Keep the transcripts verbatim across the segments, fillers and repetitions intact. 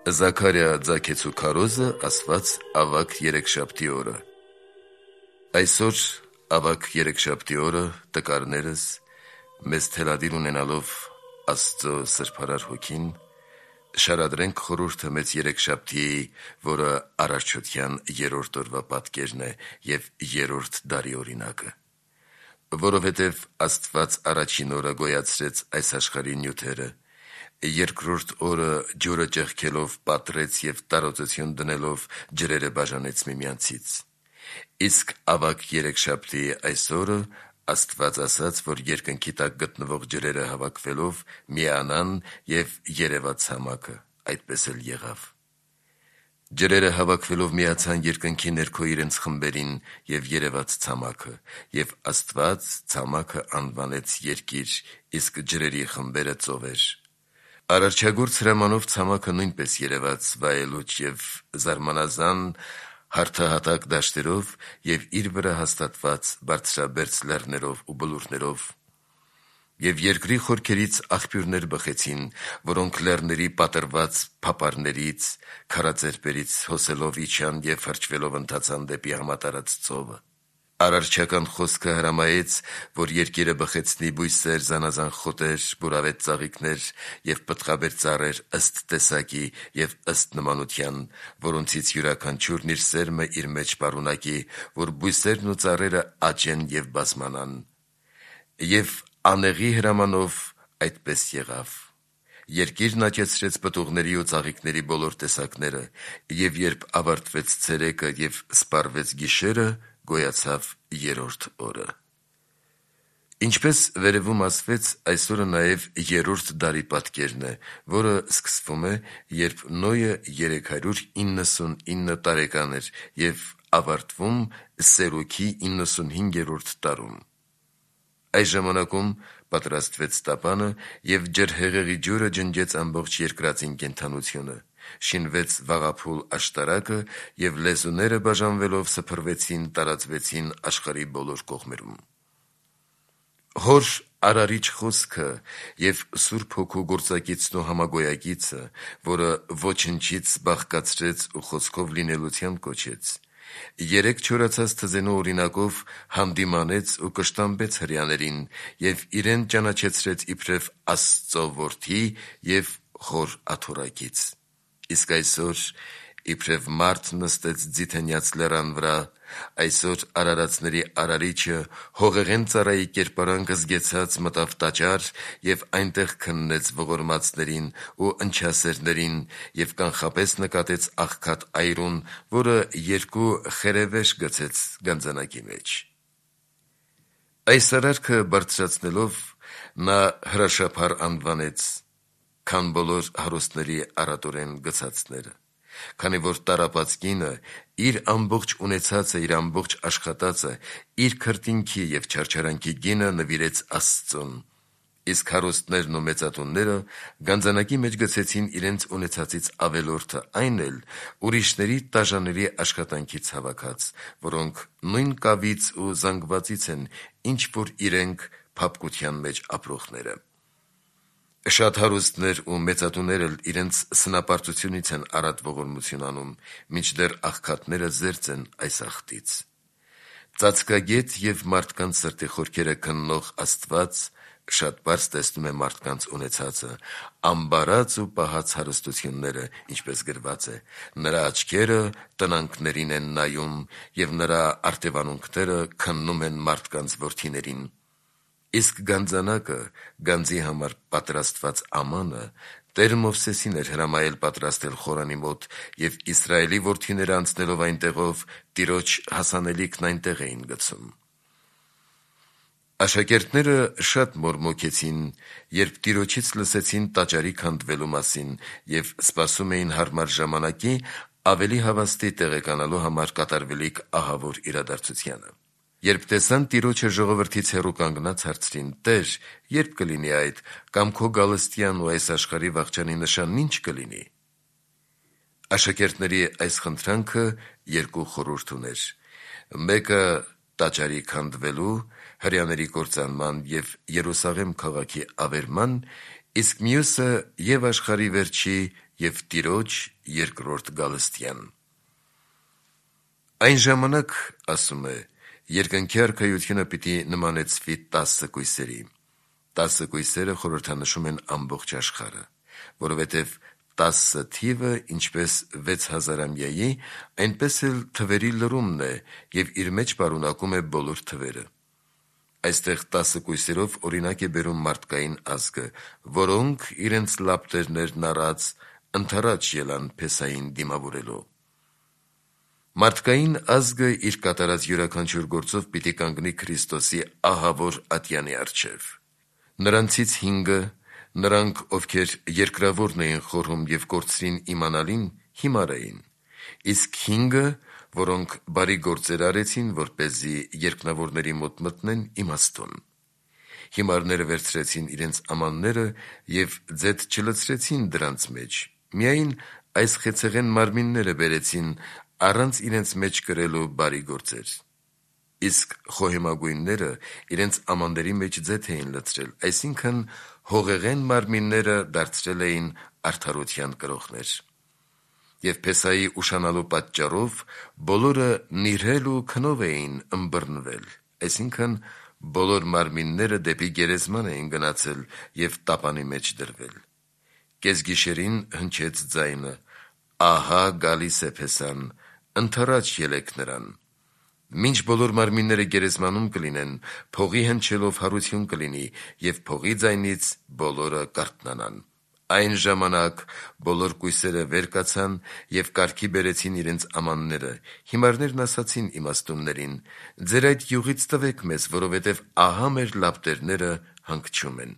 Զաքարիա ձագեցու քարոզը ասված ավագ երեքշաբթի օրը։ Այսօր ավագ երեքշաբթի օրը տկարներս մեզ թելադիր ունենալով Աստծո սրբարար հոգին շարադրենք խորհուրդը մեծ երեքշաբթիի, որը Արարչության երրորդ օրվա պատկերն է և երրորդ դարի օրինակը, որովհետև Աստված առաջին օրը գոյացրեց այս աշխարհի նյութերը, երկրորդ օրը ջուրը ճեղքելով պատռեց և տարածություն դնելով ջրերը բաժանեց միմյանցից։ Իսկ ավագ երեքշաբթիի այս օրը Աստված ասաց, որ երկնքի տակ գտնվող ջրերը հավաքվելով միանան և երևաց ցամաքը, այդպես էլ եղավ։ Ջրերը հավաքվելով միացան երկնքի ներքո իրենց խմբերին և երևաց ցամաքը, և Աստված ցամաքը անվանեց երկիր, իսկ ջրերի խմբերը ծովեր։ Արարչագործ հրամանով ցամաքը նույնպես երևաց վայելուչ և զարմանազան հարթահատակ դաշտերով և իր վրա հաստատված բարձրաբերձ լեռներով ու բլուրներով, և երկրի խորքերից աղբյուրներ բխեցին, որոնք լեռների պատռված փապարներից, քարածերպերից հոսելով իջան և հրճվելով ընթացան դեպի համատարած ծովը։ Արարչական խոսքը հրամայեց, որ երկիրը բխեցնի բույսեր, զանազան խոտեր, բուրավետ ծաղիկներ և պտղաբեր ծառեր ըստ տեսակի և ըստ նմանության, որոնցից յուրաքանչյուրն իր սերմը իր մեջ պարունակի, որ բույսերն ու ծառերը աճեն և բազմանան։ Եվ անեղի հրամանով այդպես եղավ։ Երկիրն աճեցրեց պտուղների ու ծաղիկների բոլոր տեսակները, և երբ ավարտվեց ցերեկը և սպառվեց գիշերը, գոյացավ երրորդ օրը։ Ինչպես վերևում ասվեց, այսօրը նաև երրորդ դարի պատկերն է, որը սկսվում է, երբ Նոյը երեք հարյուր իննսունինը տարեկան էր և ավարտվում Սերուգի իննսունհինգերորդ տարում։ Այս ժամանակում պատրաստվեց տապանը, և ջրհեղեղի ջուրը ջնջեց ամբողջ երկրածին կենդանությունը, շինվեց վաղափուլ աշտարակը, և լեզուները բաժանվելով սփռվեցին, տարածվեցին աշխարհի բոլոր կողմերում։ Հոր Արարիչ խոսքը և Սուրբ Հոգու գործակիցն ու համագոյակիցը, որը ոչնչից բաղկացրեց ու խոսքով լինելության կոչեց, երեք չորացած թզենու օրինակով հանդիմանեց ու կշտամբեց հրեաներին և իրեն ճանաչեցրեց իբրև Աստծո որդի և խոր աթոռակից։ Իսկ այսօր իբրև մարդ նստեց ձիթենյաց լեռան վրա, այսօր արարածների Արարիչը հողեղեն ծառայի կերպարանք զգեցած մտավ տաճար և այնտեղ քննեց ողորմածներին ու ընչասերներին և կանխապես նկատեց աղքատ այրուն, որը երկու խերևեշ գցեց գանձանակի մեջ։ Այս արարքը բարձրացնելով նա հրաշափառ անվանեց, քան բոլոր հարուստների առատորեն գցածները, քանի որ տառապած կինը իր ամբողջ ունեցածը, իր ամբողջ աշխատածը, իր քրտինքի և չարչարանքի գինը նվիրեց Աստծուն, իսկ հարուստներն ու մեծատունները գանձանակի մեջ գցեցին իրենց ունեցածից ավելորդը, այն էլ ուրիշների տաժաների աշխատանքից հավաքած, որոնք նույն կավից ու զանգվածից են, ինչ որ իրենք փափկության մեջ ապրողները։ Շատ հարուստներ ու մեծատուներ էլ իրենց սնապարտությունից են առատ ողորմություն անում, մինչդեռ աղքատները զերծ են այս աղտից։ Ծածկագետ և մարդկանց սրտի խորքերը քննող Աստված շատ պարզ տեսնում է մարդկանց ունեցածը, ամբարած ու պահած հարստությունները, ինչպես գրված է. «Նրա աչքերը տնանքներին են նայում, և նրա արտևանունքները քննում են մարդկանց որդիներին»։ Իսկ գանձանակը, գանձի համար պատրաստված ամանը, Տեր Մովսեսին էր հրամայել պատրաստել խորանի մոտ, և Իսրայելի որդիները անցնելով այնտեղով Տիրոջ հասանելիքն այնտեղ էին գցում։ Աշակերտները շատ մորմոքեցին, երբ Տիրոջից լսեցին տաճարի քանդվելու մասին և սպասում էին հարմար ժամանակի ավելի հավաստի տեղեկանալու համար կատարվելիք ահավոր իրադարձությանը։ Երբ տեսան Տիրոջը ժողովրդից հեռու կանգնած, հարցրին. «Տե՛ր, ե՞րբ կլինի այդ, կամ քո գալստյան ու այս աշխարհի վախճանի նշանն ի՞նչ կլինի»։ Աշակերտների այս խնդրանքը երկու խորհուրդ ուներ. մեկը տաճարի քանդվելու, հրեաների կործանման և Երուսաղեմ քաղաքի ավերման, իսկ մյուսը եւ աշխարհի վերջի եւ Տիրոջ երկրորդ գալստյան։ Այն ժամանակ, ասում է, երկնքի արքայությունը պիտի նմանեցվի տասը կույսերի։ Տասը կույսերը խորհրդանշում են ամբողջ աշխարհը, որովհետև տասը թիվը ինչպես վեց հազարամյայի, այնպես էլ թվերի լրումն է եւ իր մեջ պարունակում է բոլոր թվերը։ Այստեղ տասը կույսերով օրինակ է բերում մարդկային ազգը, որոնք իրենց լապտերներն առած ընդառաջ ելան Փեսային դիմավորելու։ Մարդկային ազգը իր կատարած յուրաքանչյուր գործով պիտի կանգնի Քրիստոսի ահավոր ատյանի առջև։ Նրանցից հինգը, նրանք, ովքեր երկրավորն էին խորհում եւ կորցրին իմանալին, հիմար էին, իսկ հինգը, որոնք բարի գործեր արեցին, որպեսզի երկնավորների մոտ մտնեն, իմաստուն։ Հիմարները վերցրեցին իրենց ամանները եւ ձեթ չլցրեցին դրանց մեջ, միայն այս խեցեղեն մարմինները բերեցին առանց իրենց մեջ կրելու բարի գործեր։ Իսկ խոհեմագույնները իրենց ամանների մեջ ձեթ էին լցրել, այսինքն հողեղեն մարմինները դարձրել էին արդարության կրողներ։ Եվ Փեսայի ուշանալու պատճառով բոլորը նիրհել ու քնով էին ըմբռնվել, այսինքն բոլոր մարմինները դեպի գերեզման էին գնացել եւ տապանի մեջ դրվել։ Կեսգիշերին հնչեց ձայնը. «Ահա գալիս է Փեսան, ընդառաջ ելեք նրան»։ Մինչ բոլոր մարմինները գերեզմանում կլինեն, փողի հնչելով հարություն կլինի, եւ փողի ձայնից բոլորը կարթնանան։ Այն ժամանակ բոլոր կույսերը վեր կացան եւ կարգի բերեցին իրենց ամանները։ Հիմարներն ասացին իմաստուններին. «Ձեր այդ յուղից տվեք մեզ, որովհետեւ ահա մեր լապտերները հանգչում են»։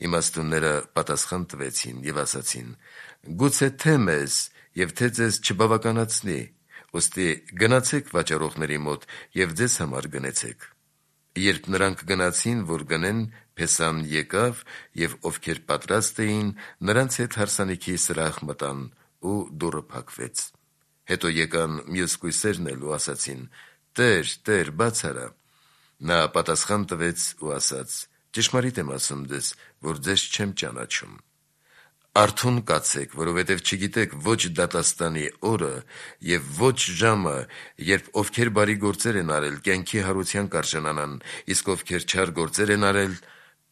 Իմաստունները պատասխան տվեցին եւ ասացին. «Գուցե թե մեզ եւ թե ձեզ չբավականացնի, ուստի գնացեք վաճառողների մոտ եւ ձեզ համար գնեցեք»։ Երբ նրանք գնացին, որ գնեն, Փեսան եկավ եւ ովքեր պատրաստ էին, նրանց հետ հարսանիքի սրահ մտան ու դուռը փակվեց։ Հետո եկան մյուս կույսերն էլ ու ասացին. «Տեր, Տեր, բաց արա»։ Նա պատասխան տվեց ու ասաց. «Ճշմարիտ եմ ասում ձեզ, որ ձեզ չեմ ճանաչում։ Արթուն կացեք, որովհետև չգիտեք ոչ դատաստանի օրը եւ ոչ ժամը, երբ ովքեր բարի գործեր են արել, կյանքի հարության կարժանանան, իսկ ովքեր չար գործեր են արել,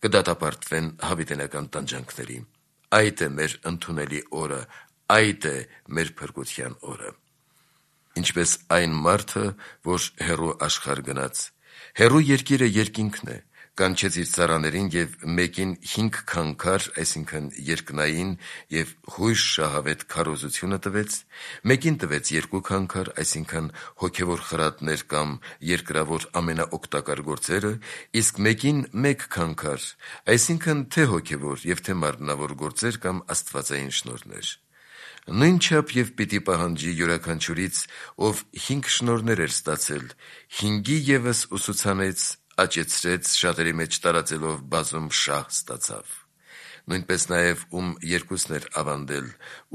կդատապարտվեն հավիտենական տանջանքների։ Այդ է մեր ընդունելի օրը, այդ է մեր փրկության օրը»։ Ինչպես այն մարդը, որ հեռու աշխարհ գնաց, հեռու երկիրը երկինքն է, կանչեց իր ծառաներին եւ մեկին հինգ քանքար, այսինքն երկնային եւ հույժ շահավետ քարոզությունը տվեց, մեկին տվեց երկու քանքար, այսինքն հոգեվոր խրատներ կամ երկրավոր ամենաօգտակար գործերը, իսկ մեկին մեկ քանքար, այսինքն թե հոգեվոր եւ թե մարմնավոր գործեր կամ աստվածային շնորհներ։ Նույնչափ եւ պիտի պահանջի յուրաքանչյուրից, ով հինգ շնորհներ էր ստացել, հինգի ևս ուսուցանեց, աճեցրեց, շատերի մեջ տարածելով բազում շահ ստացավ։ Նույնպես նաև ում երկուսն էր ավանդել,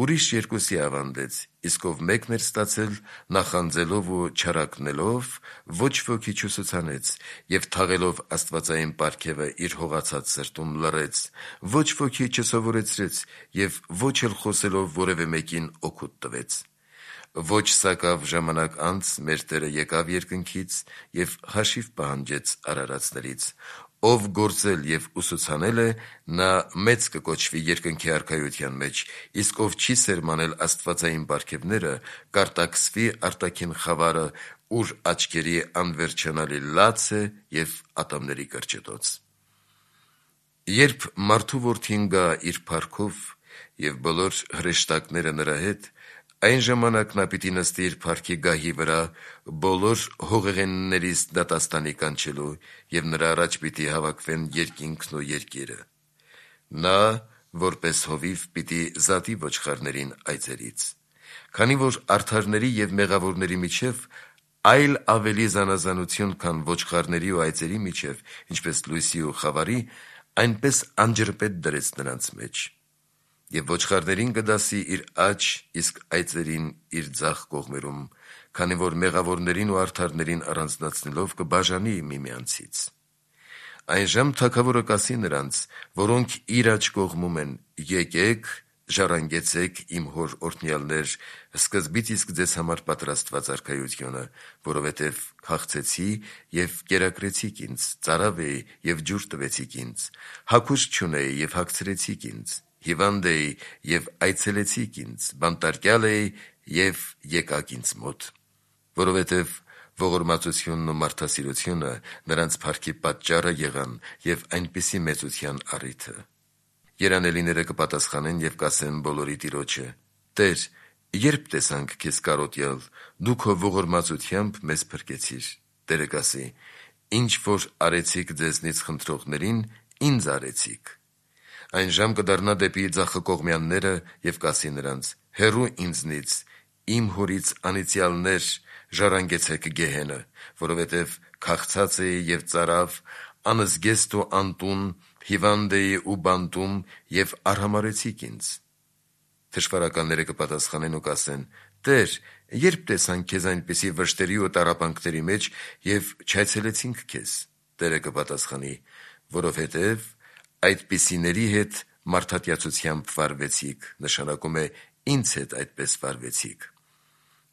ուրիշ երկուսի ավանդեց, իսկ ով մեկն էր ստացել, նախանձելով ու չարակնելով, ոչ ոքի չուսուցանեց, եւ թաղելով աստվածային պարգևը իր հողացած սրտում լռեց, ոչ ոքի չսովորեցրեց եւ ոչ էլ խոսելով որևէ մեկին օգուտ տվեց։ Ոչ սակավ ժամանակ անց մեր Տերը եկավ երկնքից եւ հաշիվ պահանջեց արարածներից։ Ով գործել եւ ուսուցանել է, նա մեծ կկոչվի երկնքի արքայության մեջ, իսկ ով չի սերմանել աստվածային պարգևները, կարտաքսվի արտաքին խավարը, ուր աչքերի անվերջանալի լաց է եւ ատամների կրճտոց։ Երբ մարդու որդին գա իր փառքով եւ բոլոր հրեշտակները նրա հետ, այն ժամանակ նա պիտի նստի իր փառքի գահի վրա, բոլոր հողեղեններից դատաստանի կանչելու, եւ նրա առաջ պիտի հավաքվեն երկինքն ու երկիրը։ Նա, որպես հովիվ, պիտի զատի ոչխարներին այծերից, քանի որ արդարների եւ մեղավորների միջև այլ ավելի զանազանություն, քան ոչխարների ու այծերի միջև, ինչպես լույսի ու խավարի, այնպես անջրպետ դրեց նրանց մեջ։ Եվ ոչխարներին կդասի իր աջ, իսկ այծերին իր ձախ կողմերում, քանի որ մեղավորներին ու արդարներին առանձնացնելով կբաժանի միմյանցից։ Այնժամ թագավորը կասի նրանց, որոնք իր աջ կողմում են. «Եկեք, ժառանգեցեք իմ հոր օրհնյալներ, սկզբից իսկ ձեզ համար պատրաստված արքայությունը, որովհետև քաղցեցի և կերակրեցիք ինձ, ծարավ էի և ջուր տվեցիք ինձ, հագուստ չունեի և հագցրեցիք ինձ, հիվանդ էի և այցելեցիք ինձ, բանտարկյալ էի և եկաք ինձ մոտ»։ Որովհետև ողորմածությունն ու մարդասիրությունը նրանց փառքի պատճառը եղան և այնպիսի մեծության առիթը։ Երանելիները կպատասխանեն և կասեն բոլորի Տիրոջը. «Տե՛ր, երբ տեսանք քեզ կարոտյալ, դու քո ողորմածությամբ մեզ փրկեցիր»։ Տերը կասի. «Ինչ որ արեցիք ձեզնից խնդրողներին, ինձ արեցիք»։ Այնժամ կդառնա դեպի ձախակողմյանները և կասի նրանց. «Հեռու ինձնից, իմ հորից անիծյալներ, ժառանգեցեք գեհենը, որովհետև քաղցած էի և ծարավ, անզգեստ ու անտուն, հիվանդ էի ու բանտում և արհամարհեցիք ինձ»։ Թշվառականները կպատասխանեն ու կասեն. «Տե՛ր, երբ տեսանք քեզ այնպիսի վշտերի ու տառապանքների մեջ և չայցելեցինք քեզ»։ Տերը կպատասխանի. «Որովհետև այդպիսիների հետ մարդատյացությամբ վարվեցիք, նշանակում է ինձ հետ այդպես վարվեցիք»։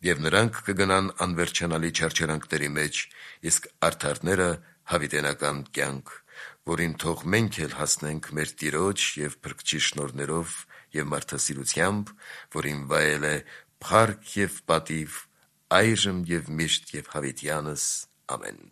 Եվ նրանք կգնան անվերջանալի չարչարանքների մեջ, իսկ արդարները հավիտենական կյանք, որին թող մենք էլ հասնենք մեր Տիրոջ և Փրկչի շնորհներով և մարդասիրությամբ, որին վայել է փառք և պատիվ այժմ և միշտ և հավիտյանս։ Ամեն։